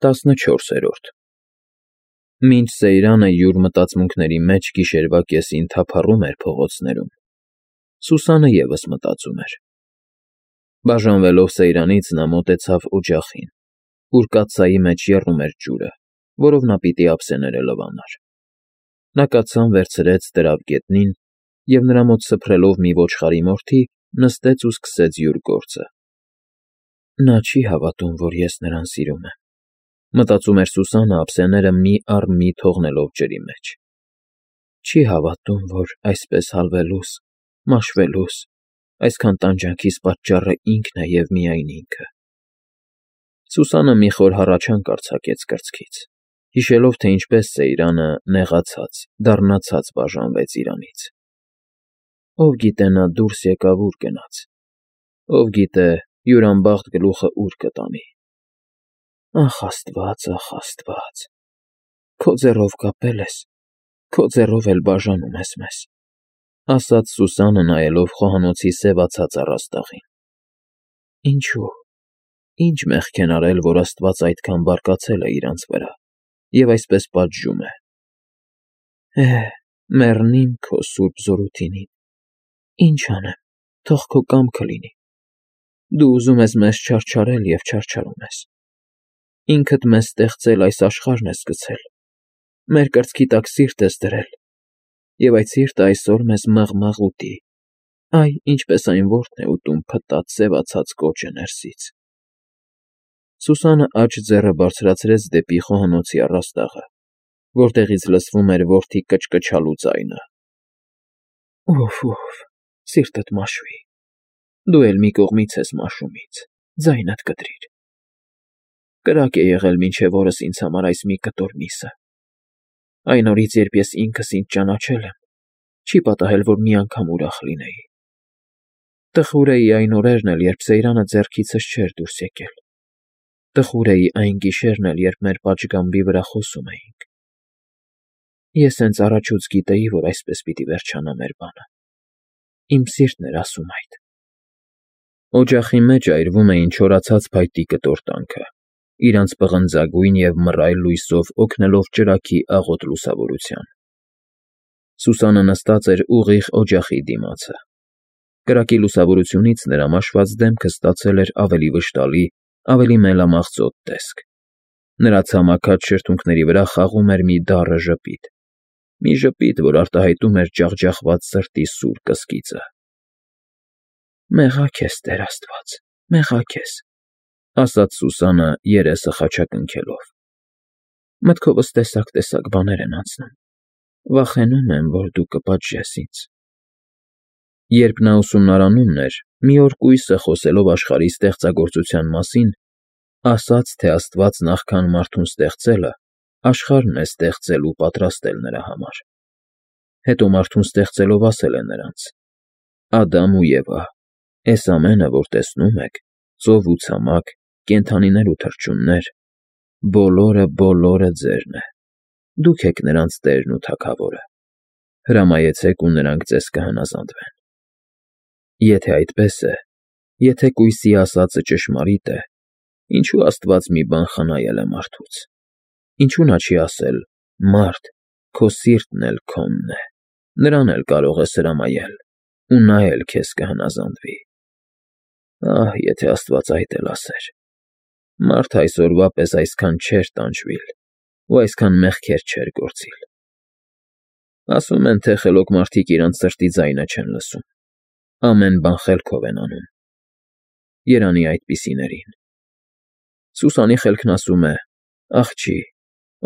14-րդ Մինչ Սեյրանը յուր մտածմունքների մեջ գիշերվա կեսին թափառում էր փողոցներում, Սուսանը ևս մտածում էր. բաժանվելով Սեյրանից նա մոտեցավ օջախին, ուր կաթսայի մեջ եռում էր ջուրը, որով նա պիտի ափսեները լվանար. նա կաթսան վերցրեց, դրավ գետնին և նրա մոտ սփռելով մի ոչխարի մորթի, նստեց ու սկսեց յուր գործը։ Նա չի հավատում, որ ես նրան սիրում եմ, մտածում էր Սուսանը ափսեները մի առ մի թողնելով ջրի մեջ։ Չի հավատում, որ այսպես հալվելուս, մաշվելուս, այսքան տանջանքիս պատճառը ինքն է և միայն ինքը։ Սուսանը մի խոր հառաչանք արձակեց կրծքից, հիշելով, թե ինչպես Սեյրանը, նեղացած, դառնացած բաժանվեց իրանից։ Ով գիտե նա դուրս եկավ ուր գնաց, ով գիտե յուր անբախտ գլուխը ուր կտանի։ Ախ, Աստված, քո ձեռով կապել ես, քո ձեռով էլ բաժանում ես մեզ, ասաց Սուսանը, նայելով խոհանոցի սևացած առաստաղին։ Ինչու՞, ինչ մեղք են արել, որ Աստված այդքան բարկացել է իրանց վրա և այսպես պատժում է։ Մեռնիմ քո սուրբ զորութիին, ինչ անեմ, թող քո կամքը լինի։ Դու ուզում ես մեզ չարչարել և չարչարում ես։ Ինքդ մեզ ստեղծել այս աշխարհն ես գցել, մեր կրծքի տակ սիրտ ես դրել, և այդ սիրտը այսօր մեզ մաղ ուտի, այ ինչպես այն որբն է ուտում փտած, սևացած կոճը ներսից։ Սուսանը աջ ձեռը բարձրացրեց դեպի խոհանոցի առաստաղը, որտեղից լսվում էր որդի կչկչալու ձայնը։ Ուֆ, սիրտդ մաշվի, դու էլ մի կողմից ես մաշում ինձ, ձայնդ կտրիր։ Կրակ է եղել մինչև օրս ինձ համար այս մի կտոր միսը։ Այն օրից, երբ ես ինքս ինձ ճանաչել եմ, չի պատահել, որ մի անգամ ուրախ լինեի։ Տխուր էի այն օրերն էլ, երբ Սեյրանը ձեռքիցս չէր դուրս եկել։ Տխուր էի այն գիշերն էլ, երբ մեր պատշգամբի վրա խոսում էինք։ Ես հենց առաջուց գիտեի, որ այսպես պիտի վերջանա մեր բանը։ Իմ սիրտն էր ասում այդ։ Օջախի մեջ այրվում էին չորացած փայտի կտորտանքը, իրանց պղնձագույն և մռայլ լույսով օգնելով ճրագի աղոտ լուսավորության։ Սուսանը նստած էր ուղիղ օջախի դիմացը։ Կրակի լուսավորությունից նրա մաշված դեմքը ստացել էր ավելի վշտալի, ավելի մելամաղձոտ տեսք։ Նրա ցամաքած շրթունքների վրա խաղում էր մի դառը ժպիտ, մի ժպիտ, որ արտահայտում էր ջախջախված սրտի սուր կսկիծը։ Մեղա քեզ, Տեր Աստված, մեղա քեզ, ասաց Սուսանը, երեսը խաչակնքելով։ Մտքովս տեսակ բաներ են անցնում։ Վախենում եմ, որ դու կպատժես ինձ։ Երբ նա ուսումնարանում էր, մի օր կույսը, խոսելով աշխարհի ստեղծագործության մասին, ասաց, թե Աստված նախքան մարդուն ստեղծելը, աշխարհն է ստեղծել ու պատրաստել նրա համար։ Հետո մարդուն ստեղծելով ասել է նրանց. Ադամ ու Եվա, էս ամենը, որ տեսնում եք, ծով ու ցամաք, կենդանիներ ու թռչուններ, բոլորը ձերն է։ Դուք եք նրանց տերն ու թագավորը։ Հրամայեցեք ու նրանք ձեզ կհնազանդվեն։ Եթե այդպես է, եթե կույսի ասածը ճշմարիտ է, ինչու Աստված մի բան խնայել է մարդուց։ Ինչու նա չի ասել. մարդ, քո սիրտն էլ քոնն է, նրան էլ կարող ես հրամայել, ու նա էլ քեզ կհնազանդվի։ Ահ, եթե Աստված այդ էլ ասեր։ Մարդ այսօրվա պես այսքան չէր տանջվիլ ու այսքան մեղքեր չէր գործիլ։ Ասում են, թե խելոք մարդիկ իրանց սրտի ձայնը չեն լսում, ամեն բան խելքով են անում։ Երանի այդպիսիներին։ Սուսանի խելքն ասում է. աղջի,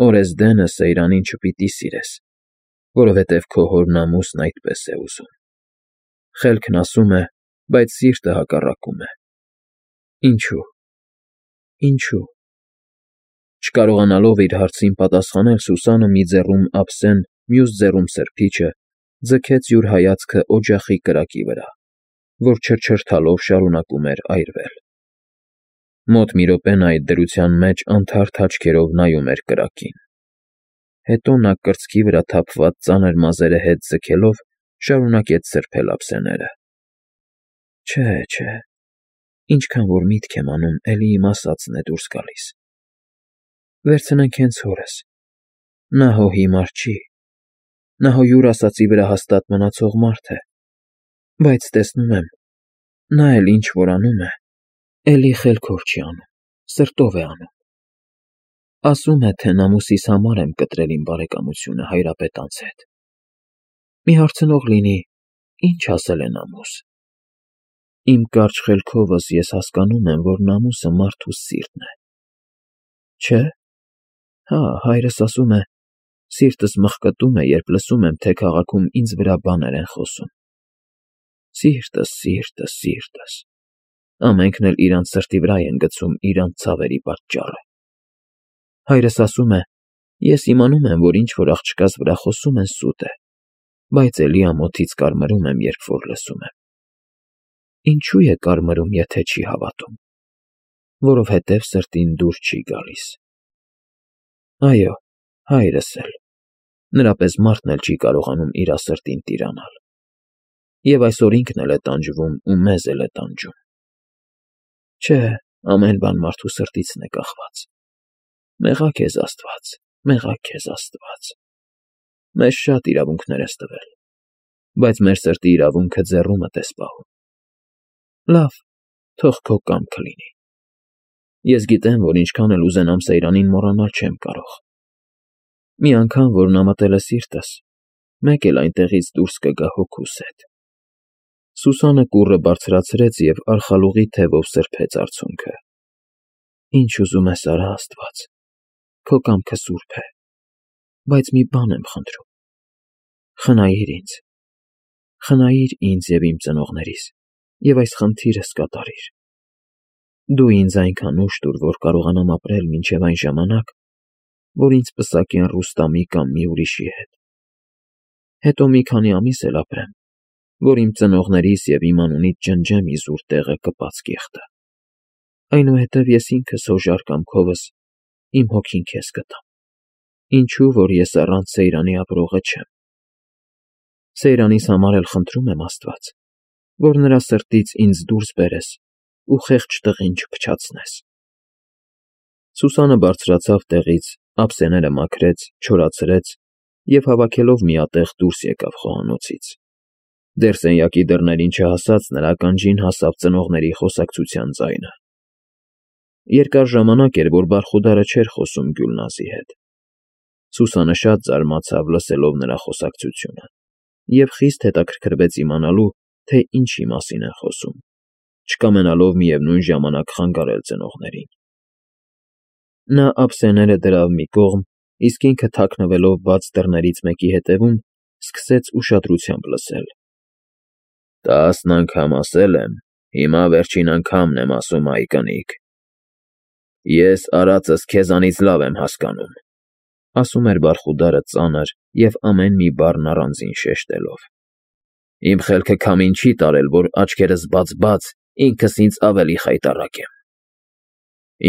օրեսդենը Սեյրանին չպիտի սիրես, որովհետև քո հոր նամուսն այդպես է ուզում։ Խելքն ասում է, բայց սիրտը հակառակում է։ Ինչու։ Չկարողանալով իր հարցին պատասխանել, Սուսանը մի ձեռում ափսեն, մյուս ձեռում սրբիչը, ձգեց յուր հայացքը օջախի կրակի վրա, որ չրչրթալով շարունակում էր այրվել։ Մոտ մի րոպե նա այդ դրության մեջ անթարթ աչքերով նայում էր կրակին։ Հետո նա կրծքի վրա թափված ծանր մազերը հետ ձգելով շարունակեց սրբել ափսեները։ Չէ, ինչքան որ միտք եմ անում, էլի իմ ասածն է դուրս գալիս։ Վերցնենք հենց հորս։ Նա հո հիմար չի։ Նա հո յուր ասածի վրա հաստատ մնացող մարդ է։ Բայց տեսնում եմ, նա էլ ինչ որ անում է, էլի խելքով չի անում, սրտով է անում։ Ասում է, թե նամուսիս համար եմ կտրել իմ բարեկամությունը հայրապետանց հետ։ Մի հարցնող լինի, ինչ ասել է նամուս։ Իմ կարճ խելքովս ես հասկանում եմ, որ նամուսը մարդուս սիրտն է։ Չէ՞։ Հա, հայրս ասում է, սիրտս մխկտում է, երբ լսում եմ, թե քաղաքում ինձ վրա բաներ են խոսում։ Սիրտս, սիրտս, սիրտս։ Ամենքն էլ իրանց սրտի վրա են գցում իրանց ցավերի պատճառը։ Հայրս ասում է, ես իմանում եմ, որ ինչ որ աղջկաս վրա խոսում են սուտ է, բայց էլի ամոթից կարմրում եմ, երբ որ լսում եմ։ Ինչու է կարմրում, եթե չի հավատում։ Որովհետև սրտին դուր չի գալիս։ Այո, հայրս էլ։ Նրա պես մարդն էլ չի կարողանում իր սրտին տիրանալ։ Եվ այսօր ինքն էլ է տանջվում ու մեզ էլ է տանջում։ Չէ, ամեն բան մարդու սրտիցն է կախված։ Մեղա քեզ Աստված, մեղա քեզ Աստված։ Մեզ շատ իրավունքներ ես տվել, բայց մեր սրտի իրավունքը ձեռումդ ես պահում։ Լավ, թող քո կամքը լինի։ Ես գիտեմ, որ ինչքան էլ ուզենամ Սեյրանին մոռանալ չեմ կարող։ Մի անգամ, որ նամատել է սիրտս, մեկ էլ այնտեղից դուրս կգա հոգուս հետ։ Սուսանը կուռը բարձրացրեց և արխալուղի թևով սրբեց արցունքը։ Ինչ ուզում ես արա, Աստված, քո կամքը սուրբ է, բայց մի բան եմ խնդրում։ Խնայիր ինձ և իմ ծնողներիս, և այս խնդիրս կատարիր։ Դու ինձ այնքան ուժ տուր, որ կարողանամ ապրել մինչև այն ժամանակ, որ ինձ պսակեն Ռուստամի կամ մի ուրիշի հետ։ Հետո մի քանի ամիս էլ ապրեմ, որ իմ ծնողներիս և իմ անունից ջնջեմ իզուր տեղը կպած կեղտը։ Այնուհետև ես ինքս հոժար կամքովս իմ հոգին քեզ կտամ, ինչու որ ես առանց Սեյրանի ապրողը չեմ։ Սեյրանիս համար էլ խնդրում եմ, Աստված, որ նրա սրտից ինձ դուրս բերես ու խեղճ տղին չփչացնես։ Սուսանը բարձրացավ տեղից, ափսեները մաքրեց, չորացրեց և հավաքելով միատեղ դուրս եկավ խոհանոցից։ Դեռ սենյակի դռներին չհասած նրա ականջին հասավ ծնողների խոսակցության ձայնը։ Երկար ժամանակ էր, որ Բարխուդարը չէր խոսում Գյուլնազի հետ։ Սուսանը շատ զարմացավ լսելով նրա խոսակցությունը և խիստ հետաքրքրվեց իմանալու, թե ինչի մասին են խոսում, չկամենալով միևնույն ժամանակ խանգարել ծնողներին։ Նա ափսեները դրավ մի կողմ, իսկ ինքը թաքնվելով բաց դռներից մեկի հետևում, սկսեց ուշադրությամբ լսել։ 10 անգամ ասել եմ, հիմա վերջին անգամն եմ ասում, այ կնիկ։ Ես արածս քեզանից լավ եմ հասկանում, ասում էր Բարխուդարը ծանր և ամեն մի բառն առանձին շեշտելով։ Իմ խելքը քամին չի տարել, որ աչքերս բաց, ինքս ինձ ավելի խայտառակ եմ։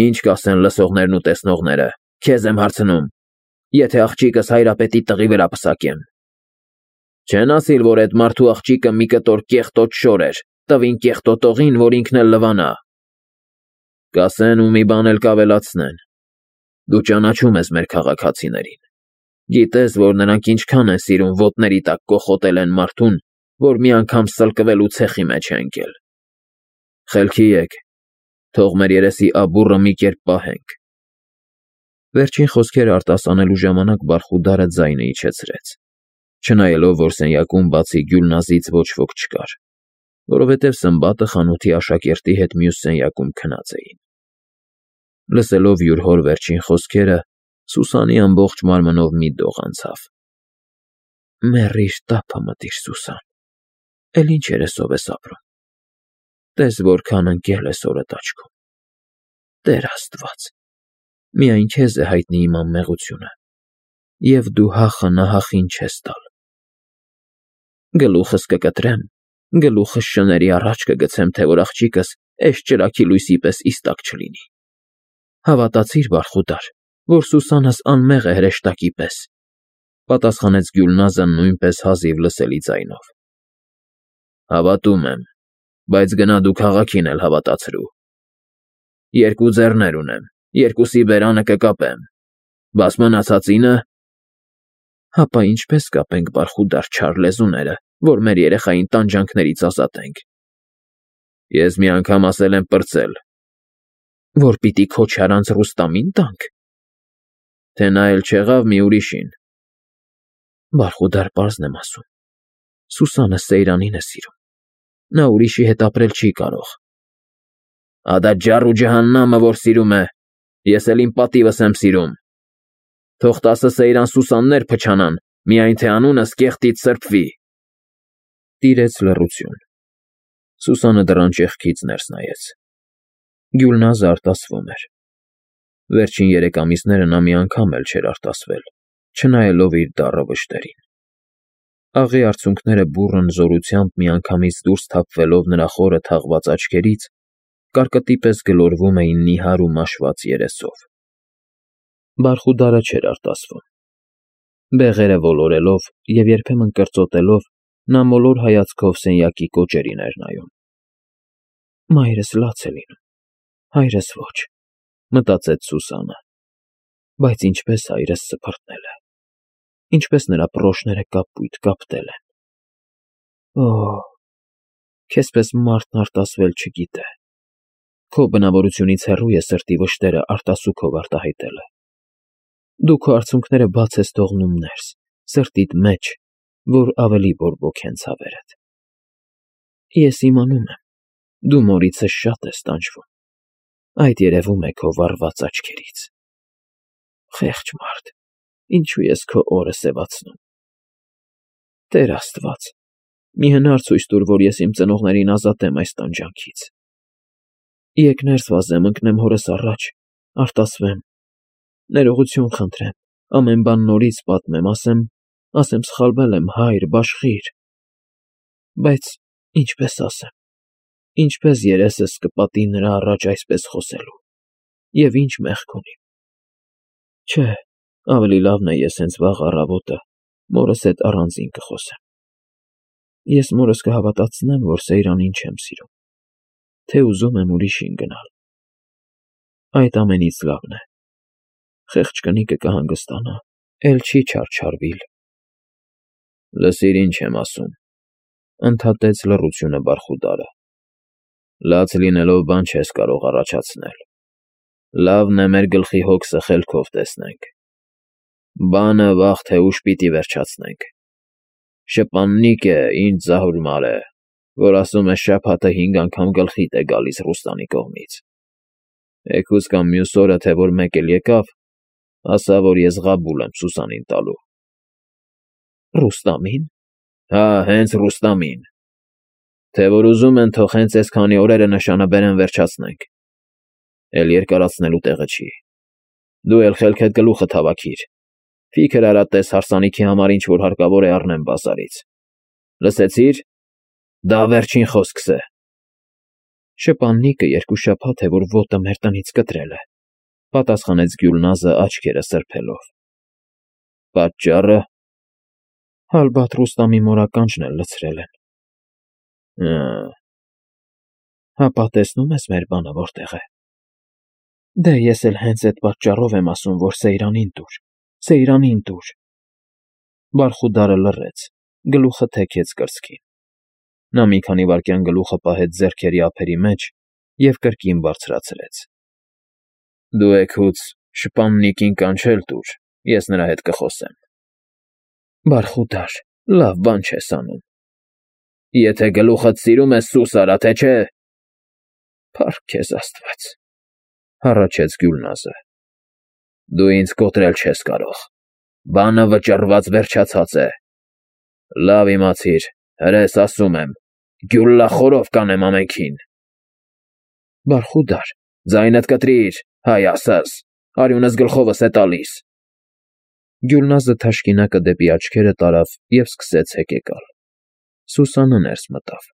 Ինչ կասեն լսողներն ու տեսնողները, քեզ եմ հարցնում, եթե աղջիկս հայրապետի տղի վրա պսակեմ։ Չեն ասիլ, որ այդ մարդու աղջիկը մի կտոր կեղտոտ շոր էր, տվին կեղտոտողին, որ ինքն էլ լվանա։ Կասեն ու մի բան էլ կավելացնեն։ Դու ճանաչում ես մեր քաղաքացիներին։ Գիտես, որ նրանք ինչքան են սիրում ոտների տակ կոխոտել են մարդուն, որ մի անգամ սլկվելու ցեխի մեջ է ընկել։ Խելքի եկ, թող մեր երեսի աբուռը մի կերպ պահենք։ Վերջին խոսքերը արտասանելու ժամանակ Բարխուդարը ձայնը իջեցրեց, չնայելով, որ սենյակում բացի Գյուլնազից ոչ ոք չկար, որովհետև Սմբատը խանութի աշակերտի հետ մյուս սենյակում քնած էին։ Լսելով յուր հոր վերջին խոսքերը, Սուսանի ամբողջ մարմնով մի դող անցավ։ Մեռիր, տափը մտիր, Սուսան, էլ ինչ երեսով ես ապրում։ Տես որքան ընկել ես օրդ աչքում։ Տեր Աստված, միայն քեզ է հայտնի իմ անմեղությունը, և դու հախը նահախին չես տալ։ Գլուխս կկտրեմ, գլուխս շների առաջ կգցեմ, թե որ աղջիկս էս ճրագի լույսի պես իստակ չլինի։ Հավատացիր, Բարխուդար, որ Սուսանս անմեղ է հրեշտակի պես, պատասխանեց Գյուլնազը նույնպես հազիվ լսելի ձայնով։ Հավատում եմ, բայց գնա դու քաղաքին էլ հավատացրու։ Երկու ձեռներ ունեմ, երկուսի բերանը կկապեմ, Բաս մնացածինը։ Հապա ինչպես կապենք բարխուդար չար լեզուները, որ մեր երեխային տանջանքներից ազատենք։ Ես մի անգամ ասել եմ պրծել։ Որ պիտի քո չարանց Ռուստամին տանք։ Թե նա էլ չեղավ մի ուրիշին։ Բարխուդար պարզն եմ ասում։ Սուսանը Սեյրանին է սիրում։ Նա ուրիշի հետ ապրել չի կարող։ Ադա ջառ ու ջահաննամը որ սիրում է, ես էլ իմ պատիվս եմ սիրում։ Թող 10 Սեյրան Սուսաններ փչանան, միայն թե անունս կեղտից սրբվի։ Տիրեց լռություն։ Սուսանը դռան ճեղքից ներս նայեց։ Գյուլնազը արտասվում էր։ Վերջին 3 ամիսները նա մի անգամ էլ չէր արտասվել, չնայելով իր դառը վշտերին։ Աղի արցունքները բուռն զորությամբ միանգամից դուրս թափվելով նրա խորը թաղված աչքերից, կարկտի պես գլորվում էին նիհար ու մաշված երեսով։ Բարխուդարը չէր արտասվում։ Բեղերը ոլորելով և երբեմն կրծոտելով, նա մոլոր հայացքով սենյակի կոճերին էր նայում։ Մայրս լաց է լինում, հայրս ոչ, մտածեց Սուսանը, բայց ինչպես հայրս սփռտնել է, ինչպես նրա պռոշները կապույտ կապտել են։ Օհ, քեզպես մարդն արտասվել չգիտե։ Քո բնավորությունից հեռու է սրտի վշտերը արտասուքով արտահայտելը։ Դու քո արցունքները բաց ես թողնում ներս, սրտիդ մեջ, որ ավելի բորբոքեն ցավերդ։ Ես իմանում եմ, դու մորիցս շատ ես տանջվում։ Այդ երևում է քո վառված աչքերից։ Խեղճ մարդ, ինչու ես քո օրը սևացնում։ Տեր Աստված, մի հնար ցույց տուր, որ ես իմ ծնողներին ազատեմ այս տանջանքից։ Եկ ներս վազեմ, ընկնեմ հորս առաջ, արտասվեմ, ներողություն խնդրեմ, ամեն բան նորից պատմեմ, ասեմ սխալվել եմ, հայր, բաշխիր։ Բայց ինչպես ասեմ, ինչպես երեսս կպատի նրա առաջ այսպես խոսելու, և ինչ մեղք ունիմ։ Չէ, ավելի լավն է ես հենց վաղ առավոտը մորս հետ առանձին կխոսեմ։ Ես մորս կհավատացնեմ, որ Սեյրանին չեմ սիրում, թե ուզում եմ ուրիշին գնալ։ Այդ ամենից լավն է։ Խեղճ կնիկը կհանգստանա, էլ չի չարչարվիլ։ Լսիր ինչ եմ ասում, ընդհատեց լռությունը Բարխուդարը։ Լաց լինելով բան չես կարող առաջացնել։ Լավն է մեր գլխի հոգսը խելքով տեսնենք։ Բանը վաղ թե ուշ պիտի վերջացնենք։ Շպաննիկ է, ինչ զահուրմար է, որ ասում է շաբաթը 5 անգամ գլխիդ է գալիս Ռուստանի կողմից։ Էգուց կամ մյուս օրը, թե որ մեկ էլ եկավ, ասա, որ ես Ղաբուլ եմ Սուսանին տալու։ Ռուստամին։ Հա, հենց Ռուստամին։ Թե որ ուզում են, թող հենց այս քանի օրերը նշանաբերեն վերջացնենք։ Էլ երկարացնելու տեղը չի։ Դու էլ խելքդ գլուխը հավաքիր։ Ֆիքր արա տես հարսանիքի համար ինչ որ հարկավոր է առնեմ բազարից։ Լսեցիր։ Դա վերջին խոսքս է։ Շպաննիկը 2 շաբաթ է, որ ոտը մեր տնից կտրել է, պատասխանեց Գյուլնազը աչքերը սրբելով։ Պատճառը։ Հալբատ Ռուստամի մորականջն էլ լցրել են։ Հապա տեսնում ես մեր բանը որտեղ է։ Դե ես էլ հենց այդ պատճառով եմ ասում, որ Սեյրանին տուր, Սեյրանին տուր։ Բարխուդարը լռեց, գլուխը թեքեց կրծքին։ Նա մի քանի վայրկյան գլուխը պահեց ձեռքերի ափերի մեջ և կրկին բարձրացրեց։ Դու էգուց շպաննիկին կանչել տուր, ես նրա հետ կխոսեմ։ Բարխուդար, լավ բան չես անում։ Եթե գլուխդ սիրում ես, սուս արա, թե չէ։ Փառք քեզ Աստված, հառաչեց Գյուլնազը։ Դու ինձ կոտրել չես կարող։ Բանը վճռված վերջացած է։ Լավ իմացիր, հրես ասում եմ, գյուլլախորով կանեմ ամենքին։ Բարխուդար, ձայնդ կտրիր, հայ ասաս, արյունս գլխովս է տալիս։ Գյուլնազը թաշկինակը դեպի աչքերը տարավ և սկսեց հեկեկալ։ Սուսանը ներս մտավ։